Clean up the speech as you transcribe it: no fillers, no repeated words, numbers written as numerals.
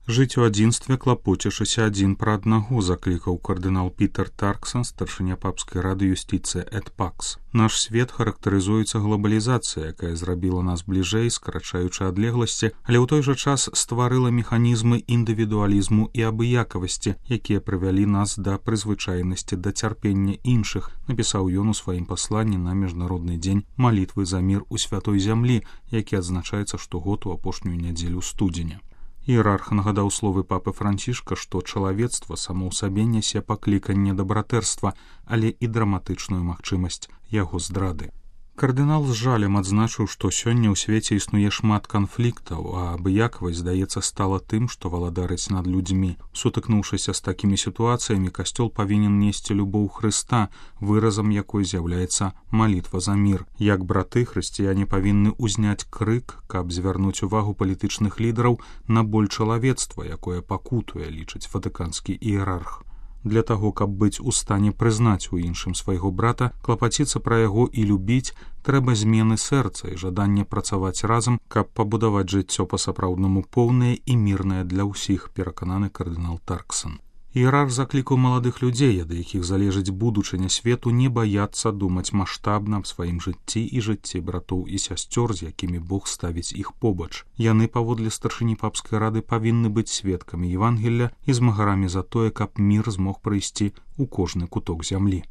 Жыць у адзінстве, клапоцячыся адзін пра аднаго, заклікаў кардынал Пітер Тарксон, старшыня папскай рады юстыцыі эт пакс. Наш свет характарызуецца глобалізацыяй, якая зрабіла нас бліжэй, скарачаючы адлегласці, але ў той жа час стварыла механізмы індывідуалізму і абыякавасці, якія прывялі нас да прызвычайнасці да цярпення іншых, напісаў ён у сваім пасланні на міжнародны дзень малітвы за мір у святой зямлі, які адзначаецца штогод у апошнюю нядзелю студзеня. Іерарх нагадаў словы папы Францішка, што чалавецтва само ў сабе нясе пакліканне да братэрства, але і драматычную магчымасць яго здрады. Кардынал з жалем адзначыў, што сёння ў свеце існуе шмат канфліктаў, а абыякавасць, здаецца, стала тым, што валадарыць над людзьмі. Сутыкнуўшыся з такімі сітуацыямі, касцёл павінен несці любоў Хрыста, выразам якой з'яўляецца малітва за мір. Як браты, хрысціяне павінны ўзняць крык, каб звярнуць увагу палітычных лідараў на боль чалавецтва, якое пакутуе, лічыць ватыканскі іерарх. Для таго, каб быць у стане прызнаць у іншым свайго брата, клапаціцца пра яго і любіць, трэба змены сэрца і жаданне працаваць разам, каб пабудаваць жыццё па-сапраўднаму поўнае і мірнае для ўсіх, перакананы кардынал Тарксон. Іерарх заклікаў маладых людзей, ад якіх залежыць будучыня свету, не баяцца думаць маштабна аб сваім жыцці і жыцці братоў і сясцёр, з якімі Бог ставіць іх побач. Яны, паводле старшыні папскай рады, павінны быць сведкамі Евангелля і змагарамі за тое, каб мір змог прыйсці ў кожны куток зямлі.